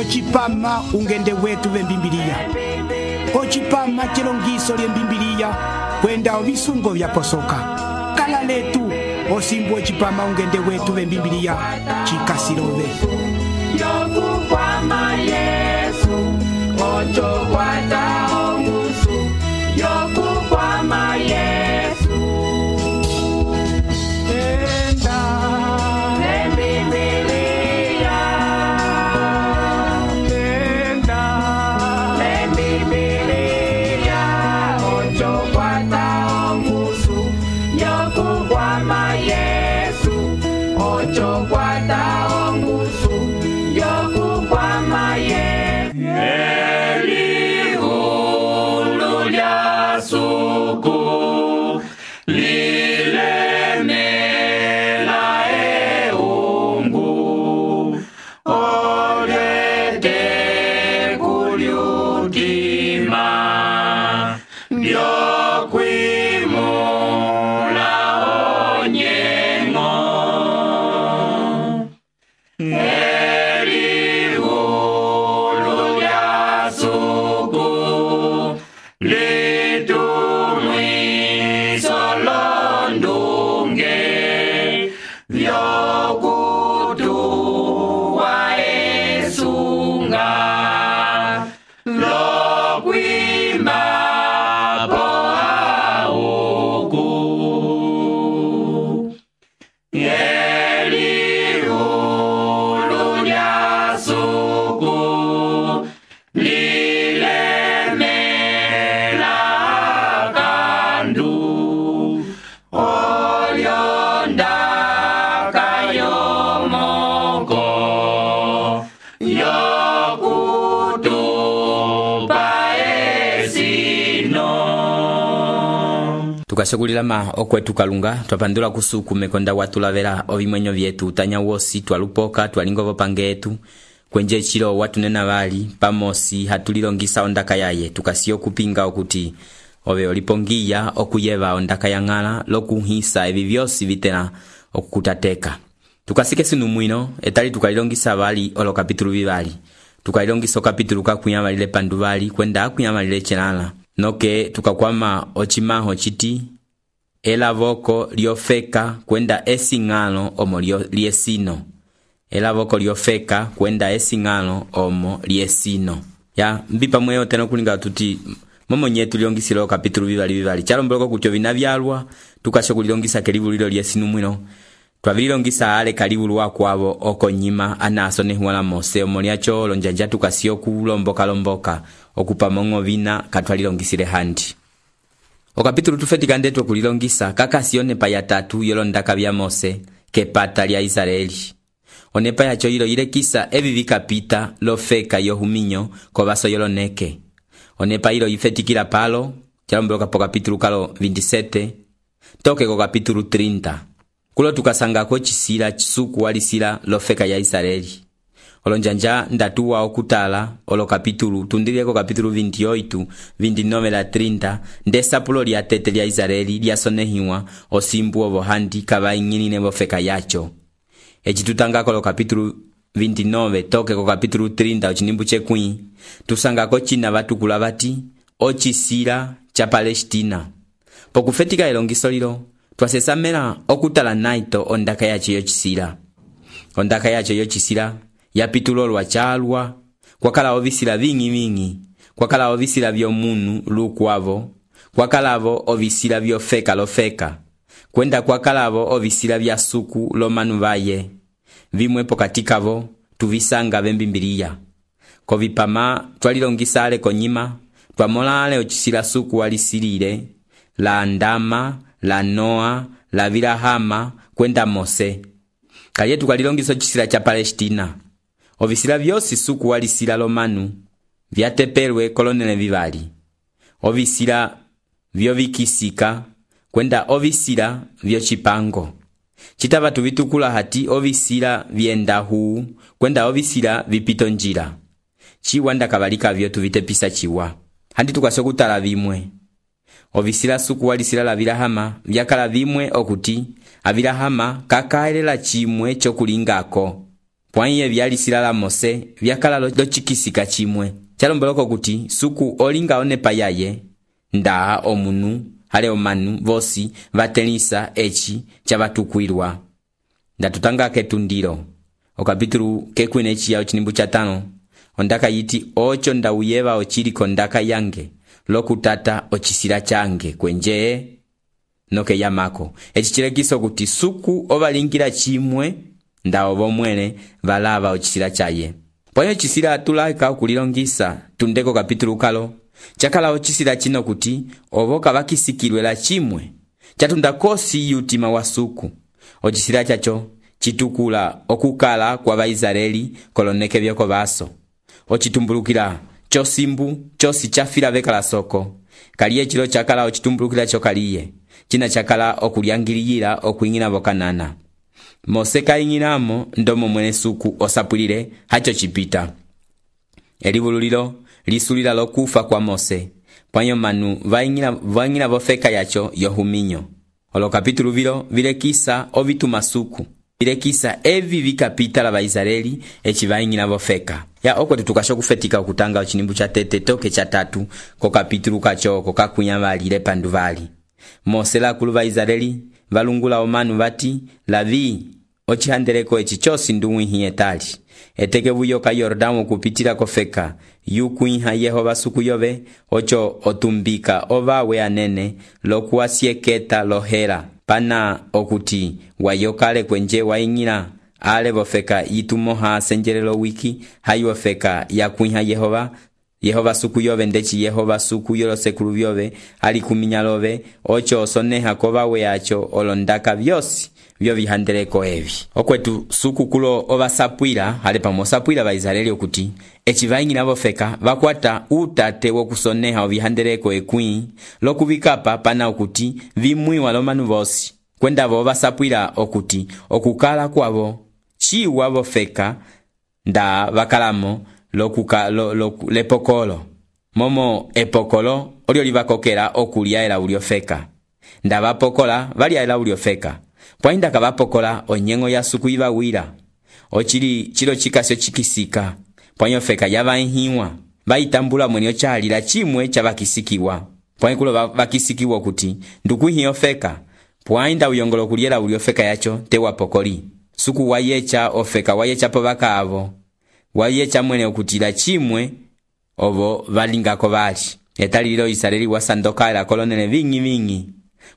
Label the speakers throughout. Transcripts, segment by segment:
Speaker 1: Ocipama ungende wetu vembimbiliya. Ocipama chilongiso lyembimbiliya kwenda ovisungo vyaposoka. Kala letu osimbu ocipama ungende wetu vembimbiliya chikasilove.
Speaker 2: Yokukwama Yesu ochokwata ongusu. Yokukwama Yesu enda lembibiliya. Enda lembibiliya ochokwata ongusu. Yokukwama Yesu ochokwata ongusu. Yokukwama Yesu elihulu lya suku lilemela eungu olyete kulyutima lyokwimula onyengo. Elihulu lya suku litumwiso londunge vyokutuwa esunga lokwimapo auku. Elihulu lya suku lilemela kandu olyondaka yomoko yokutupa esino.
Speaker 3: Tukasogulilama okwetu kalunga twapandula kusuku mekonda watulavela ovimwenyo vyetu tanya wosi twalupoka twalingovo pange etu kwenje chilo watunena vali pamosi hatulilongisa ondaka yaye tukasiyo kupinga okuti ove olipongiya okuyeva ondaka ya ng'ala lokuhisa evi vyosi vitena okukutateka. Tukasike sinu mwino etali tukalilongisa vali olo kapitulu vivali. Tukalilongisa kapitulu kakuyamalile pandu vali kwenda akuyamalile chelala. Noke tukakwama ochimaho chiti elavoko liofeka kwenda esing'alo omo liesino. Elavoko liofeka kwenda esing'alo omo liesino. Ya mbipa mweo tena kulinga tuti momo nyetu liongisilo kapitulu vivali. Chalombeloko kutyo vinavyalwa tukashokulilongisa kelivulilo liesinu mwino. Twavililongisa ale kalivulu wakwavo oko nyima anaso nehuala mose omoliacho lonjanja tukasiyo kulomboka okupamongo vina katwalilongisile handi. Okapitulu tufetika ndetu kulilongisa kakasione pa ya tatu yolondaka vya Mose kepata lya Israeli. Onepa yacho yilo yilekisa evi vikapita lofeka yohuminyo kovaso yoloneke. Onepa yilo yifetikila palo chalomboloka po kapitulu kalo 27 toke ko kapitulu 30. Kulo tukasangako chisila chisuku walisila lofeka ya Israeli. Olonjanja ndatuwa okutala olo kapitulu tundileko kapitulu 28 29 la 30 ndesapulo lya tete lya Israeli lyasonehiwa osimbu ovo handi kavaing'inine bofeka yacho. Echitutangako lo kapitulu 29 toke ko kapitulu 30 ochinimbu chekwi tusangako china vatukula vati ochisila cha Palestina. Pokufetika elongiso lilo twasesamela okutala naito ondaka yacho yochisila. Ondaka yacho yochisila yapitulolwa chalwa kwakala ovisila vingi kwakala ovisila vyomunu lukwavo kwakalavo ovisila vyofeka lofeka kwenda kwakalavo ovisila vya suku lomanu vaye vimwe pokatikavo tuvisanga vembimbiliya kovipama twalilongisa ale konyima twamola ale ochisila suku walisilile la ndama la Noa la Vilahama kwenda Mose kalye tukalilongisa ochisila cha Palestina. Ovisila vyosi suku walisila lomanu vyatepelwe kolonele vivali. Ovisila vyovikisika kwenda ovisila vyochipango. Chitava tuvitukula hati ovisila vyenda huu kwenda ovisila vipito njira. Chiwanda kabalika vyo tuvitepisa chiwa. Handi tukasokutala vimwe. Ovisila suku walisila la Vilahama vyakala vimwe okuti avilahama kakaelela chimwe chokulingako. pwaiye vyalisila la Mose vyakala locikisika chimwe chalomboloko kuti suku olinga onepa yaye nda omunu hale omanu vosi vatelisa eci chavatukwilwa. Ndatutanga ketundilo okapitulu kekwine chiya ochinimbu cha 5 ondaka yiti ocho ndawuyeva ochiliko ndaka yange lokutata ochisila change kwenje noke yamako eci chilekiso kuti suku ovalingila chimwe nda ovomwele valava ochisila chaye. Pwayo chisila atulaika okulilongisa tundeko kapitulu kalo chakala ochisila chino kuti ovoka vakisikilwela chimwe chatunda kosi yutima wa suku. Ochisila chacho chitukula okukala kwa Vaisraeli koloneke vyoko vaso. Ochitumbulukila chosimbu chosi chafila vekala soko kaliye chilo chakala ochitumbulukila chokaliye china chakala okulyangiliyila okuingina vokanana. Mose kaingilamo ndomo mwene suku osapulile hacho chipita. Elivululilo lisulila lokufa kwa Mose pwanyo manu vaingila vofeka yacho yohuminyo. Olo kapitulu vilo vilekisa ovituma suku vilekisa evi vikapita la Vaisraeli eci vaingila vofeka. Ya okwe tutukasho kufetika okutanga ochinimbu cha tete toke cha 3 ko kapitulu kacho kokakunya valile pandu vali. Mose la kulu Vaisraeli valungula omanu vati lavi ochihandeleko eci chosi nduwihi etali eteke vuyoka Yordano kupitila kofeka yukuiha Yehova suku yove ocho otumbika ovawe anene lokuasieketa lohera pana okuti wayokale kwenje waingila ale vofeka yitumoha senjelelo wiki hayofeka yakuiha Yehova suku yove ndechi Yehova suku yolo sekulu vyove alikuminya love ocho osoneha kovawe yacho olondaka vyosi vyo vihandeleko evi. Okwetu suku kulo ovasapwila hale pamosapwila Vaisraeli okuti eci vaingila vofeka vakwata utate wokusoneha ovihandeleko ekwi lokuvikapa pana okuti vimwiwa lomanu vosi kwenda vo vasapwila okuti okukala kwavo chiwa vofeka nda vakalamo lepokolo momo epokolo olio livakokela okulya ela uliofeka nda vapokola valya ela uliofeka pwainda kavapokola onyengo ya suku ivawila ochili chilo chikasyo chikisika pwanyo feka yavahiwa vaitambula mwenyo chalila chimwe chavakisikiwa pwanyo kulo vakisikiwa kuti ndukuhiyo feka pwainda uyongolo kuliela uliofeka yacho tewa pokoli suku wayecha ofeka wayecha povaka avo wayecha mwene okutila chimwe ovo valingako vali etalililo Israeli wasandoka ela kolonele vingi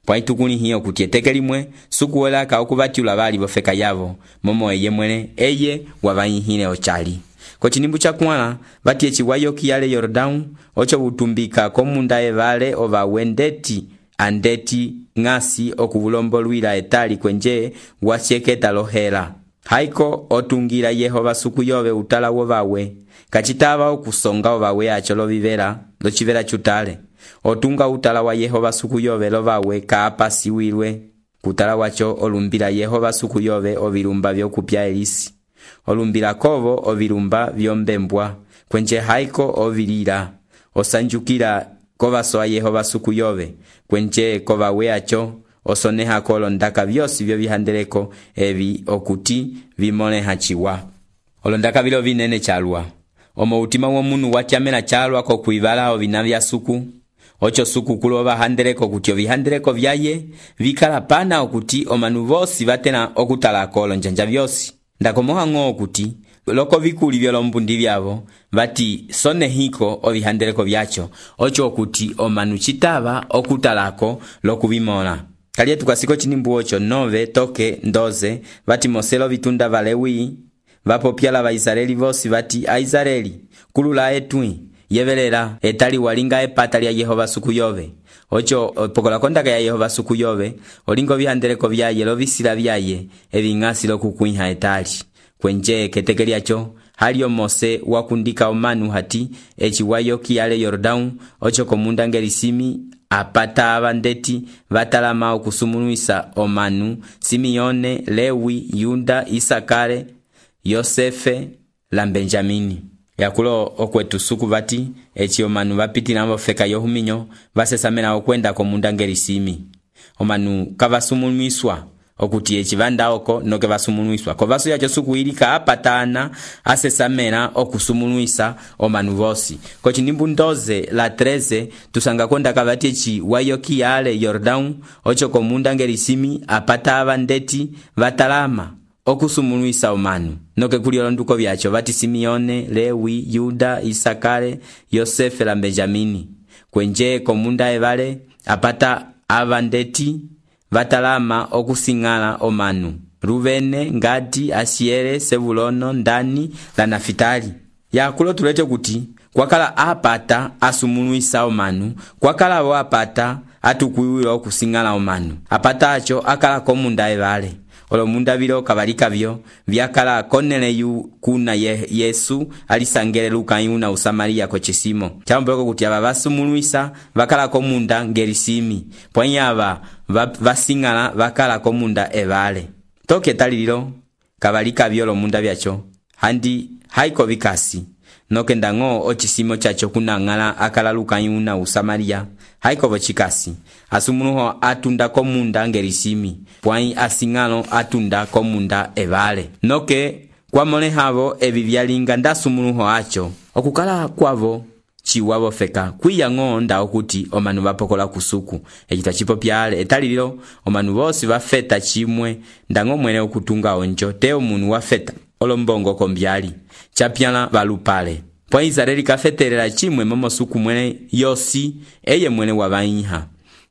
Speaker 3: pwaitukuni hiyo kuti eteke limwe suku welaka okuvatiula vali vofeka yavo momo eye mwene eye wavaihile ochali. Kochinimbu cha kuala vati echi wayoki yale Yordano ocho utumbika komunda evale ova wendeti andeti ngasi okuvulombolwila etali kwenje wasieketa lohela haiko otungira Yehova suku yove utala wovawe kachitava okusonga ovawe acho lochivela chutale otunga utala wa Yehova suku yove lovawe kaapa siwilwe kutala wacho olumbila Yehova suku yove ovilumba vyokupya elisi olumbila kovo ovilumba vyombembwa kwenje haiko ovilila osanjukila kovasoa Yehova suku yove kwenje kovawe acho osoneha kolondaka vyosi vyo vihandeleko evi okuti vimoneha chiwa olondaka vilo vinene chalwa omo utima womunu watyamela chalwa kokuivala ovina vya suku ocho suku kulo vahandeleko kuti ovihandeleko vyaye vikala pana okuti omanu vosi vatena okutala kolo njanja vyosi ndakomoha ng'o okuti loko vikuli vyolombundi vyavo vati sonehiko ovihandeleko vyacho ocho okuti omanu chitava okutalako lokuvimola kaliye tukasiko chinimbu ocho 9 toke 12 vati Moselo vitunda valewi vapopyala Vaisraeli vosi vati Aisraeli kulula etwi yevelela etali walinga epata lya Yehova suku yove ocho pokola kondaka ya Yehova suku yove olingo vihandeleko vyaye lovisila vyaye evingasi lokukuiha etali kwenje keteke lyacho halio Mose wakundika omanu hati echi wayoki yale Yordano ocho komunda ngelisimi apata abandeti vatalama okusumunuisa omanu Simeone, Lewi, Yuda, Isakare, Yosefe la Benjamini yakulo okwetu suku vati echi omanu vapitila vofeka yohuminyo vasesamela okwenda komunda ngelisimi omanu kavasumunuiswa okuti echivanda oko noke vasumuluiswa kovaso yacho sukuilika apatana asesamela okusumuluisa omanu vosi kochinimbu 12 la 13 tusanga konda kavati echi wayoki yale Yordão ocho komunda ngelisimi apata avandeti vatalama okusumuluisa omanu noke kuli olonduko vyacho vati Simeone, Lewi, Yuda, Isakare, Yosefe la Benjamini kwenje komunda evale apata avandeti vatalama okusingala omanu Ruvene, Ngadi, Asiere, Sevulono, Ndani la Nafitali yakulo tulete kuti kwakala apata asumuluisa omanu kwakala wo apata atukuiwila okusingala omanu apata acho akala komunda evale olomunda vilo kabalika vyo vyakala Korneliu kuna Yesu alisangele Luka yuna Usamaria kochisimo chamboko kuti aba basumuluisa bakala komunda ngelisimi pwanyaba vasingala bakala komunda evale toke talililo kabalika vyo olomunda vyacho handi haiko vikasi noke ndango ochisimo chacho kunangala akala Luka yuna Usamaria haiko bochikasi asumuluho atunda komunda ngelisimi pwai asingalo atunda komunda evale noke kwamole havo evi vyalinga ndasumuluho acho okukala kwavo chiwavo feka kwiyango nda okuti omanu vapokola kusuku echita chipo pyale etalililo omanu vosi vafeta chimwe ndango mwene okutunga onjo teo munu wafeta olombongo kombyali chapyala valupale pwa Israeli kafetelela chimwe momosuku mwene yosi eye mwene wabainha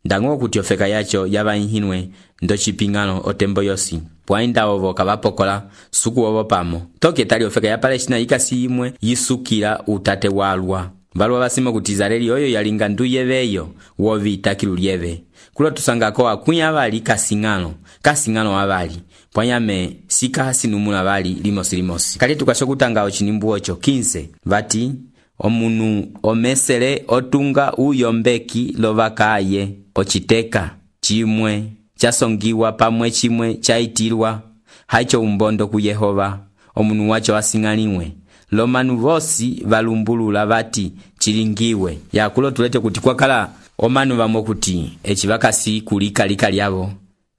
Speaker 3: ndango kuti ofeka yacho yabainhinwe ndo chipingano otembo yosi pwa inda ovo kavapokola suku ovo pamo toke tali ofeka ya Palestina ikasi imwe yisukila utate walwa balwa basimo kuti Israeli oyo yalinga nduyeveyo wovita kilulyeve kulo tusangako akunya abali kasingano abali pwanyame sika sinumula bali limosi kali tukashokutanga ochinimbu ocho 15 vati omunu omesele otunga uyombeki lovakaye ochiteka chimwe chasongiwa pamwe chimwe chaitilwa haicho umbondo ku Yehova omunu wacho asingaliwe lomanu vosi valumbulula vati chilingiwe yakulo tulete kuti kwakala omanu vamo kuti echivakasi kulika lyavo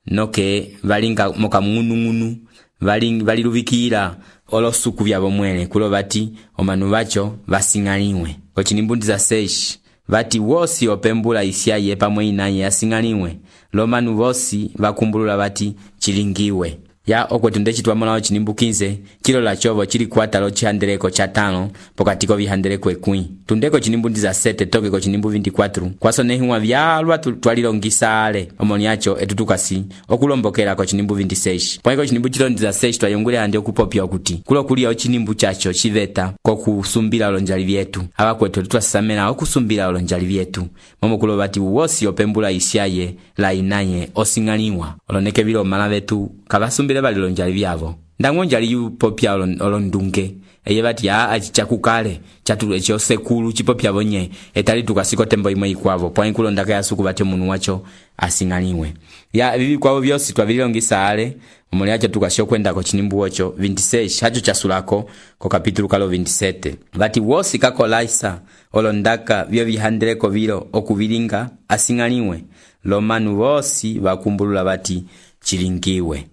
Speaker 3: noke valinga moka ngunu valiluvikira olosuku vyavo mwene kulo vati omanu vacho vasingaliwe kochinimbundi za 6 vati wosi opembula isyaye pamwe inaye asingaliwe lomanu vosi vakumbulula vati chilingiwe ya okwetu ndechitwamona chinimbu 15 kilo la chovo chili kwatalo chihandeleko cha 5 pokatiko vihandeleko ekwi tundeko chinimbu ndiza 7 toke ko chinimbu 24 kwasonehiwa vyalwa twalilongisale omoni yacho etutukasi okulombokera ko chinimbu 26 pwaiko chinimbu chilo ndiza 6 twayongule handi okupopya okuti kulo kulia chinimbu chacho chiveta ko kusumbira olonjali vyetu abakwetu twasamela okusumbira olonjali vyetu momo kulo bati wosi opembula isyaye la inaye osingaliwa oloneke bilo mala vetu kabasumbira balilonjali vyavo ndangonjali yupopya olondunge eye bati ya achichakukale chatu echo sekulu chipopya bonye etali tukasiko tembo imwe ikwavo pwa inkulo ndaka yasuku bate munu wacho asingaliwe ya bibi kwavo byosi twabiliongisale omuli acho tukasho kwenda ko chinimbu ocho 26 hacho chasulako ko kapitulu kalo 27 bati wosi kakolaisa olondaka byo bihandeleko bilo okubilinga asingaliwe lomanu vosi bakumbulula bati chilingiwe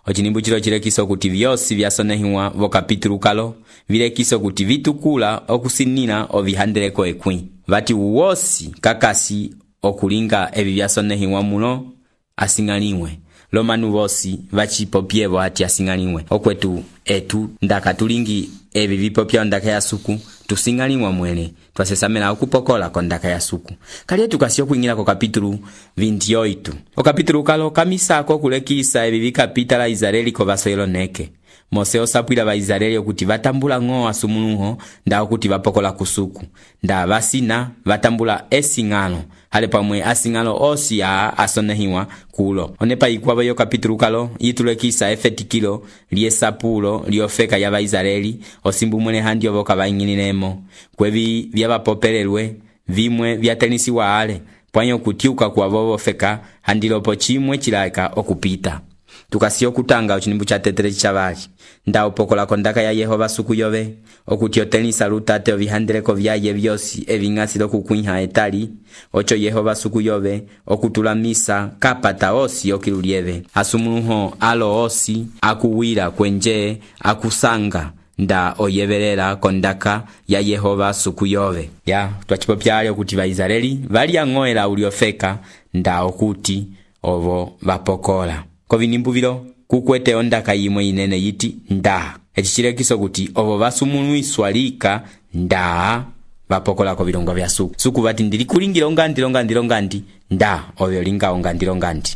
Speaker 3: ochinimbu chilo chilekiso kuti vyosi vyasonehiwa vo kapitulu kalo vilekiso kuti vitukula okusinina ovihandeleko ekwi vati wosi kakasi okulinga evi vyasonehiwa muno asingaliwe lomanu vosi vachipopyevo ati asingaliwe okwetu etu ndaka tulingi evi vipopya ndaka ya suku tusingaliwa mwene twasesamela okupokola ko ndaka ya suku kali tukasio kuingira ko kapitulu 28 o kapitulu kalo kamisako kulekisa evi vikapita la Israeli ko vasoyelo neke Mose osapwila ba Israeli okuti vatambula ngo asumuluho nda okuti vapokola kusuku nda vasina vatambula esingalo hale pamwe asingalo osi ya asonehiwa kulo onepa ikwabo yo kapitulu kalo yitulekisa efetikilo liesapulo liofeka ya ba Israeli osimbu mwene handi oboka bainginilemo kwevi vyabapopelelwe vimwe vyatenisiwa ale pwanyo kutiuka kwa bobo feka handilopo chimwe chilaka okupita tukasiyo kutanga ochinimbu cha tetere chavali nda upokola kondaka ya Yehova suku yove okuti otenisa lutate ovihandeleko vyaye vyosi eving'asilo kukwinha etali ocho Yehova suku yove okutula misa kapata osi okilulieve asumuluho alo osi akuwira kwenje akusanga nda oyevelela kondaka ya Yehova suku yove ya twachipopyale okuti Vaisraeli vali ang'oela uliofeka nda okuti ovo vapokola kovinimbu vilo kukwete ondaka yimwe inene yiti nda echichilekiso kuti ovo vasumuluiswa lika nda vapokola ko vilongo vya suku vati ndili kulingira ongandi nda ovyo linga ongandi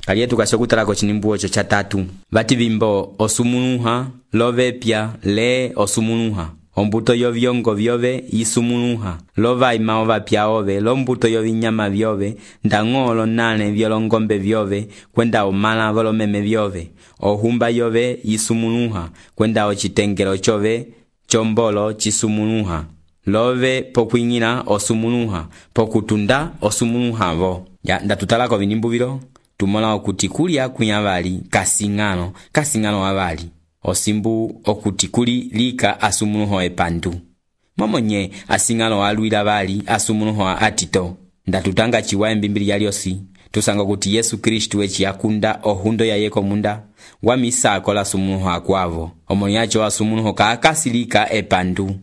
Speaker 3: kaliye tukashokutala ko chinimbu ocho cha tatu vati vimbo osumuluha lovepya le osumuluha ombuto yovyongo vyove isumuluha lovaima ovapya ove lombuto yovinyama vyove ndang'olo nane vyolongombe vyove kwenda omala volomeme vyove ohumba yove isumuluha kwenda ochitengelo chove chombolo chisumuluha love pokwing'ila osumuluha pokutunda osumuluha vo ya ndatutalako vinimbu vilo tumola okuti kulya kunyavali kasing'ano avali osimbu okuti kuli lika asumuluho epandu momonye asing'alo alwila vali asumuluho atito ndatutanga chiwa embimbili yaliosi tusanga kuti Yesu Kristu echi yakunda ohundo ya yeko munda wamisa akola asumuluho akwavo omoni yacho asumuluho kaakasilika epandu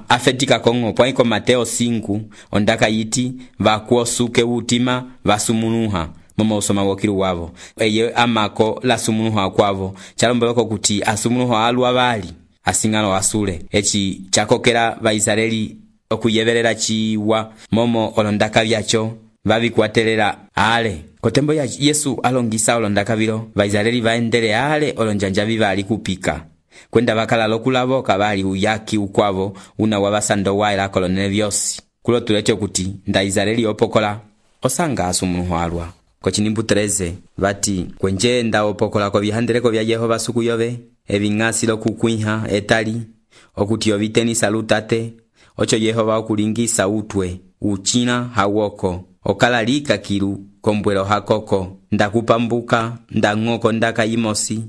Speaker 3: afetika kongo pwaiko Mateo 5 ondaka yiti vakuosuke utima vasumuluha momo usoma wokilu wavo eye amako la sumuluho akwavo chalombeleko kuti asumuluho alwa vali asing'alo asule echi chakokela Vaisraeli okuyevelela chiwa momo olondaka vyacho vavikwatelela ale kotembo ya Yesu alongisa olondaka vilo Vaisraeli vaendele ale olonjanja vivali kupika kwenda vakala lokulavoka vali uyaki ukwavo una wavasando waila kolonele vyosi kulo tulecho kuti nda Israeli opokola osanga asumuluho alwa kochinimbu 13 vati kwenje nda opokola ko vihandeleko vya Yehova suku yove eving'asilo kukwinha etali okuti ovitenisa lutate ocho Yehova okulingisa utwe uchina hawoko okalalika kilu kombwelo hakoko ndakupambuka ndang'oko ndaka yimosi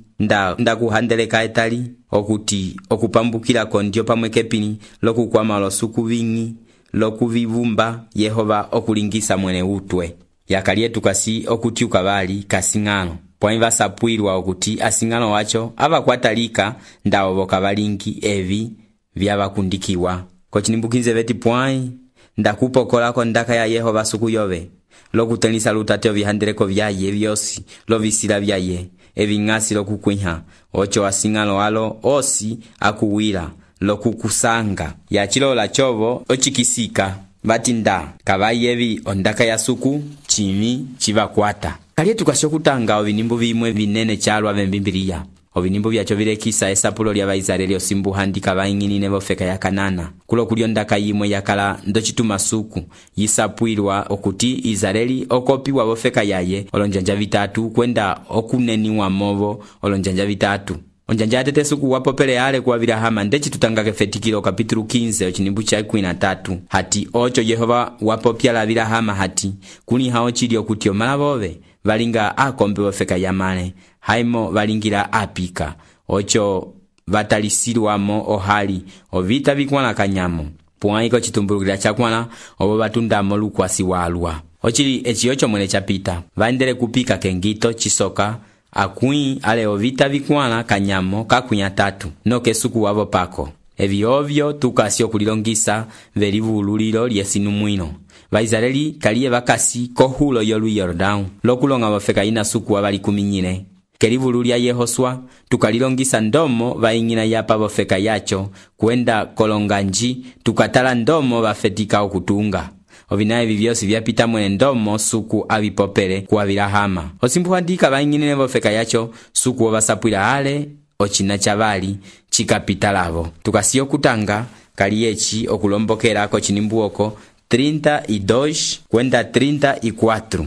Speaker 3: ndakuhandeleka etali okuti okupambukila kondio pamwe kepini lokukwama losuku ving'i lokuvivumba Yehova okulingisa mwene utwe yakaliye tukasi okuti ukavali kasing'ano pwani vasapwilwa okuti asing'ano wacho avakwatalika ndawo kavalingi evi vyavakundikiwa kochinimbukinze veti pwani ndakupokolako ndaka ya Yehova suku yove lokutenisa lutate ovihandeleko vyaye vyosi lovisila vyaye eving'asi lokukwinha ocho asing'alo alo osi akuwila lokukusanga yachilola chovo ochikisika vati nda kavayi evi ondaka ya suku chimi chivakwata kaliye tukashokutanga ovinimbu vimwe vinene chalwa vembimbiliya ovinimbu vyacho vilekisa esapulo lya Vaisraeli osimbu handika vaing'inine vofeka ya Kanana kulo kulyo ndaka yimwe yakala ndochituma suku yisapwilwa okuti Israeli okopiwa vofeka yaye olonjanja vitatu kwenda okuneniwa movo olonjanja vitatu onjanja atete suku wapopele ale kwa Abrahama ndechi tutangake fetikilo kapitulu 15 ochinimbu cha 13 hati ocho Yehova wapopya la Abrahama hati kuni hao chili okuti omala vove valinga akombe vofeka yamane haimo valingira apika ocho vatalisilwamo ohali ovita vikwana kanyamo puwaiko chitumbulukila chakwana ovo vatundamo lukwasi walwa ochili echi ocho mwene chapita vaendele kupika kengito chisoka akui ale ovita vikwana kanyamo kakunya 3 noke suku wavo pako evi ovyo tukasio kulilongisa velivululilo lyesinumwino Vaisraeli kaliye vakasi kohulo yolu Yordão lokulonga vofeka ina suku wavali 14 kelivulu lya Yehoswa tukalilongisa ndomo vaing'ina yapa vofeka yacho kwenda kolonganji tukatala ndomo vafetika okutunga ovinaye vivyosi vyapita mwene ndomo suku avipopele ku Abrahama osimbu handika vaing'inine vofeka yacho suku ovasapwila ale ochina chavali chikapita lavo tukasiyo kutanga kaliyechi okulombokela ko chinimbu oko 32 kwenda 34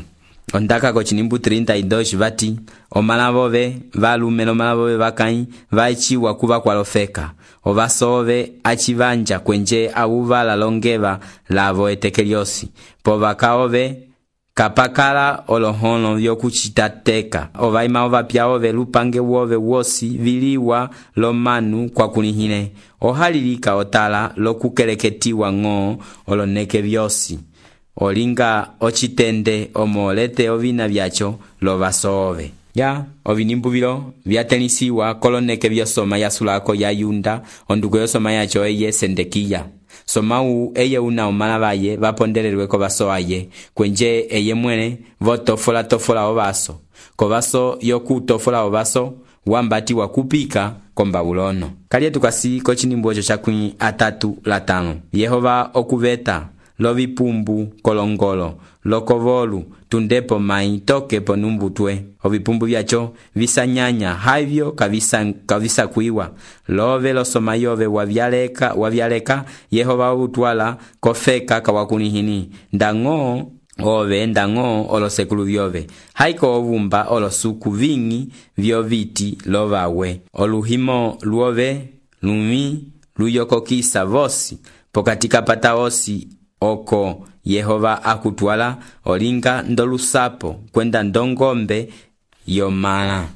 Speaker 3: ondaka ko chinimbu 32 vati omalavove valume omalavove vakai vaichiwa kuva kwalofeka ovasove achivanja kwenje avuvala longeva lavo etekeliosi po vakaove kapakala olohono vyokucitateka ovaima ovapya ove lupange wove wosi viliwa lomanu kwakulihile ohalilika otala lokukeleketiwa ng'o oloneke vyosi olinga ocitende omolete ovina vyacho lovasoove ya ovinimbuvilo vyatelisiwa koloneke vyosoma yasulako ya Yunda onduko yosoma yacho eye Sendekiya somau eye una omala vaye vapondelelwe kovaso aye kwenje eye mwene votofola ovaso kovaso yokutofola ovaso wambati wakupika kombabulono kalye tukasi kochinimbu ocho chakwi 3:5 Yehova okuveta lovipumbu kolongolo lokovolu tundepo mai tokepo numbutwe ovipumbu vyacho visanyanya havyo kavisa kuiwa love losoma yove wavyaleka Yehova utwala kofeka kawakunihini ndango olosekulu vyove haiko ovumba olosuku vingi vyoviti lovawe oluhimo luove lumi luyokokisa vosi pokatika pata osi oko Yehova akutwala olinga ndolusapo kwenda ndongombe yomala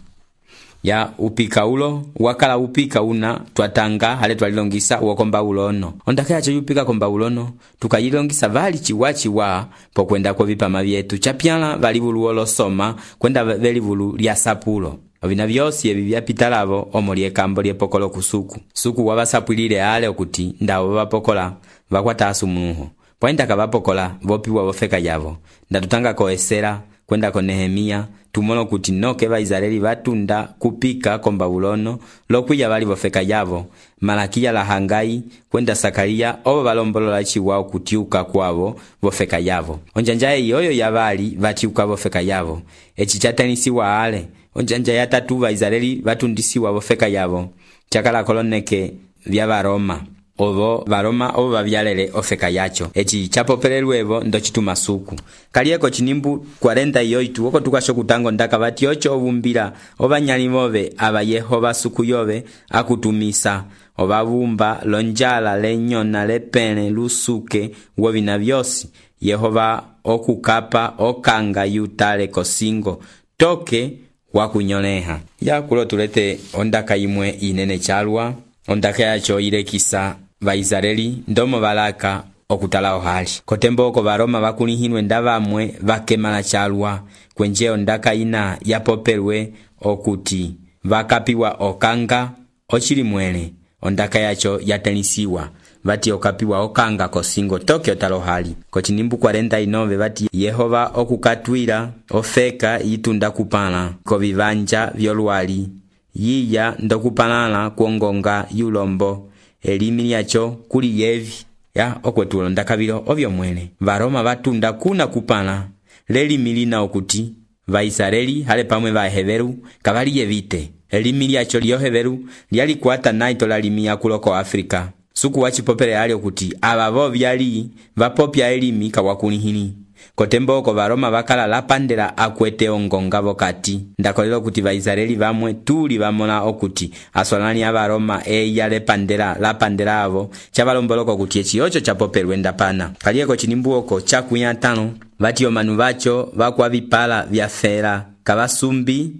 Speaker 3: ya upika ulo wakala upika una twatanga hale twalilongisa wokomba ulono ondaka yacho yupika komba ulono tukayilongisa vali chiwachiwa pokwenda kwa vipama vyetu chapyala vali vulu soma kwenda veli vulu lya sapulo ovina vyosi evi vyapitalavo omoli ekambo lyepokolo kusuku suku wavasapulile ale okuti ndawo vapokola vakwata asumuho pointa kavapokola vopiwa vofeka yavo ndatutanga koesera kwenda ko Nehemia tumono kuti noke Vaisraeli vatunda kupika kombabulono lokwiya vali vofeka yavo Malakia la Hangai kwenda Sakaria ovo valombolola chiwao kutiuka kwavo vofeka yavo onjanja yoyo yavali vatiuka vofeka yavo echi chatanisiwa ale onjanja ya 3 Vaisraeli vatundisiwa vofeka yavo chakala koloneke vya Varoma ovo Varoma ovo vavyalele ofeka yacho echi chapopelelwevo ndochituma suku kalieko chinimbu 48 oko tukasho kutango ndaka vati ocho ovumbila ovanyali vove ava Yehova suku yove akutumisa ovavumba lonjala lenyona lepene lusuke wovina vyosi Yehova okukapa okanga yutale kosingo toke wakunyoleha ya kulo tulete ondaka imwe inene chalwa ondaka yacho ilekisa Vaisraeli ndomo balaka okutala ohali kotembo oko Varoma vakulihinwe ndavamwe vakemala chalwa kwenje ondaka ina yapopelwe okuti vakapiwa okanga ochili mwele ondaka yacho yatenisiwa vati okapiwa okanga kosingo toke otalohali kochinimbu 49 vati Yehova okukatwila ofeka yitunda kupala kovivanja vyolwali yiya ndokupalala kuongonga yulombo elimi lyacho kuli yevi ya okwetulo ndakabilo ovyo mwene Varoma vatunda kuna kupala lelimi lina okuti Vaisraeli hale pamwe vaheveru kavali yevite elimi lyacho lyoheveru lyalikwata naito lalimi ya kuloko Afrika suku wachipopele ali okuti abavo vyali vapopya elimi kawakunihini kotembo oko Varoma vakala lapandela akwete ongonga vokati ndakolelo kuti Vaisraeli vamwe tuli vamona okuti aswalani ya Varoma eya lapandela avo chavalomboloko kuti echi ocho chapopelwe ndapana kalieko chinimbu oko chakuya 5 vati omanu vacho vakwa vipala vyafera kavasumbi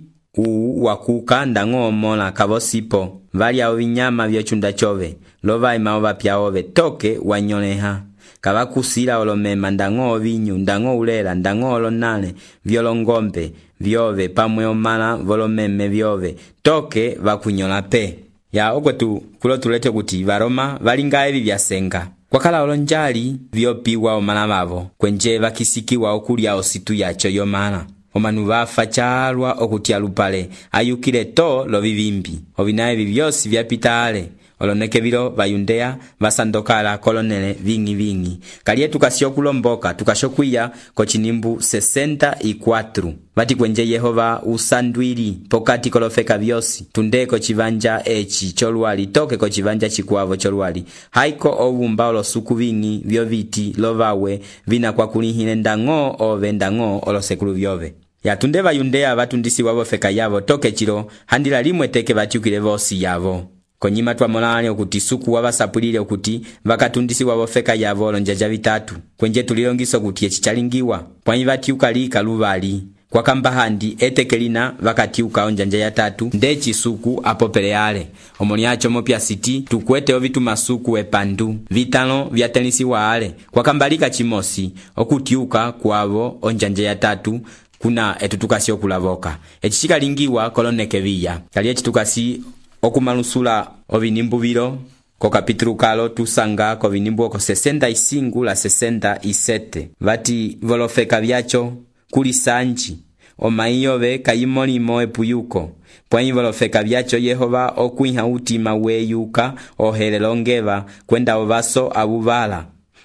Speaker 3: wakuka ndango omola kavosipo vali ao vinyama vyochunda chove lovaima ovapya ove toke wanyoleha kavakusila olomema ndango vinyu ndango ulela ndango olonale vyolongombe vyove pamwe omala volomeme vyove toke vakunyola pe ya okwetu kulo tulete kuti Varoma valinga evi vyasenga kwakala olonjali vyopiwa omala vavo kwenje vakisikiwa okulya ositu yacho yomala omanu vafa chalwa okutia lupale ayukile to lovivimbi ovina evi vyosi vyapita ale oloneke vilo vayundea vasandokala kolonele vingi kaliye tukasio kulomboka tukashokwiya kochinimbu 64 vati kwenje Yehova usandwili pokati kolofeka vyosi tundeko chivanja echi cholwali toke ko chivanja chikwavo cholwali haiko ovumba olosuku vingi vyoviti lovawe vina kwa kulihine ndango ove ndango olosekulu vyove yatunde vayundea vatundisi wavo feka yavo toke chilo handila limwe teke vatiukile vosi yavo konyima twamolale okuti suku wavasapulile okuti vakatundisiwa vofeka yavo olonjanja vitatu kwenje tulilongiso okuti eci chalingiwa pwanyi vatiuka lika luvali kwakamba handi etekelina vakatiuka onjanja ya tatu ndeci suku apopele ale omoni acho mopya siti tukwete ovituma suku epandu vitalo vyatenisiwa ale kwakamba lika chimosi okutiuka kwavo onjanja ya tatu kuna etutukasi okulavoka eci chikalingiwa koloneke viya kali eci tukasi okumalusula ovinimbu vilo ko kapitulu kalo tusanga ko vinimbu oko 65 la 67 vati volofeka vyacho kuli sanji omaiyove kayimolimo epuyuko pwanyi volofeka vyacho Yehova okwiha utima weyuka ohele ongeva kwenda ovaso abuvala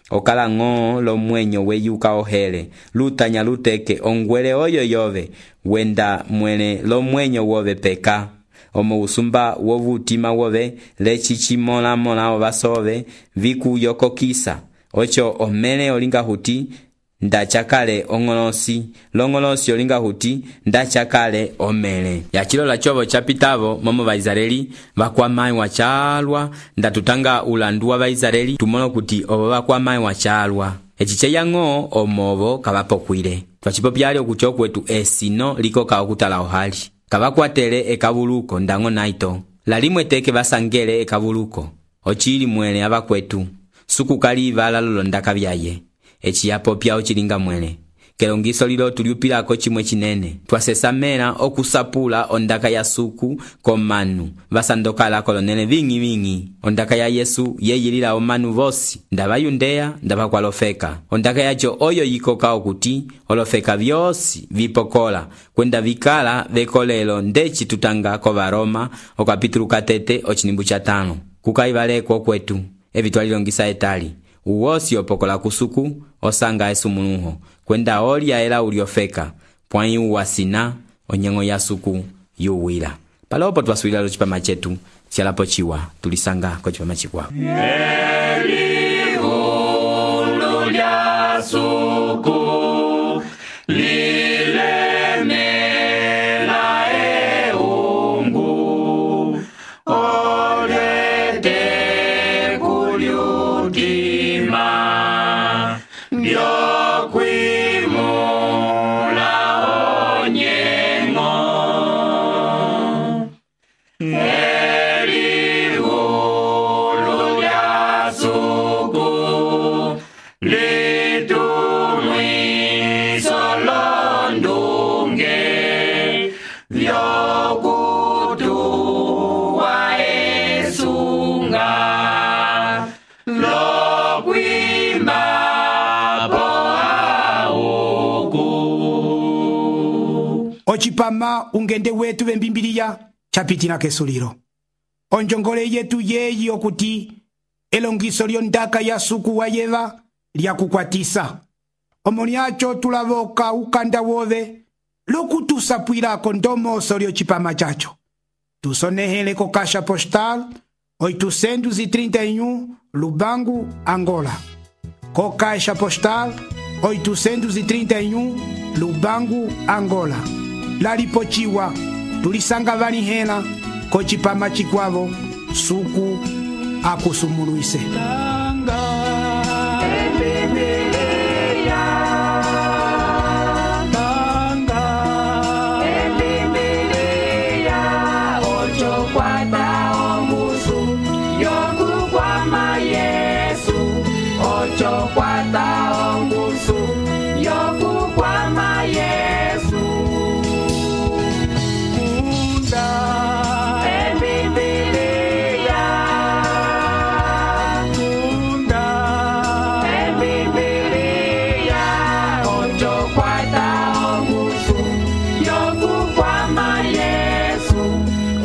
Speaker 3: okala ng'oo lomwenyo weyuka ohele lutanya luteke ongwele oyo yove wenda mwele lomwenyo wove peka omo usumba wovutima wove lechichimola ovasove vikuyokokisa ocho omele olinga huti ndachakale ongolosi longolosi olinga huti ndachakale omele yachilola chovo chapitavo momo vaisraeli vakwamai wachalwa ndatutanga ulandu wa vaisraeli tumono kuti ovo vakwamai wachalwa echiche yang'o omovo kavapokwile twachipopyale okucho kwetu esino likoka okutala ohali kavakwatele ekavuluko ndango naito lalimwe teke vasangele ekavuluko ochili mwele avakwetu suku kalivala lolondaka vyaye eci yapopya ochilinga mwele kelongiso lilo tuliupilako chimwe chinene twasesamela okusapula ondaka ya suku komanu vasandokala kolonele vingi ondaka ya Yesu yeyilila omanu vosi ndavayundeya ndavakwalofeka ondaka yacho oyo yikoka okuti olofeka vyosi vipokola kwenda vikala vekolelo ndeci tutanga ko Varoma okapitulu katete ochinimbu cha 5 kukaivaleko kwetu evi twalilongisa etali uwosi opokola kusuku osanga esumunuho kwenda olya ela uliofeka pwanyi uwasina onyengo ya suku yuwila palopo twasuila lo chipama chetu chialapo chiwa tulisanga ko chipama chikwa
Speaker 2: Elihulu lya suku lilemela eungu olete kuliutima byokwimula onyengo Elihulu lya suku litumwiso londunge vyokutuwa esunga lokwima
Speaker 1: ochipama ungende wetu vembimbiliya chapitina kesulilo onjongole yetu yeyi okuti elongiso lyondaka ya suku wa yeva lyakukwatisa omoni acho tulavoka ukanda wove lokutusapwilako ndomoso lyochipama chacho tusonehele ko Caixa Postal 831 Lubangu, Angola. Co Caixa Postal 831 Lubangu, Angola. Lalipochiwa tulisanga vanihela ko chipama chikwavo suku akusumuluise.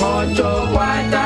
Speaker 2: Ocho cuarta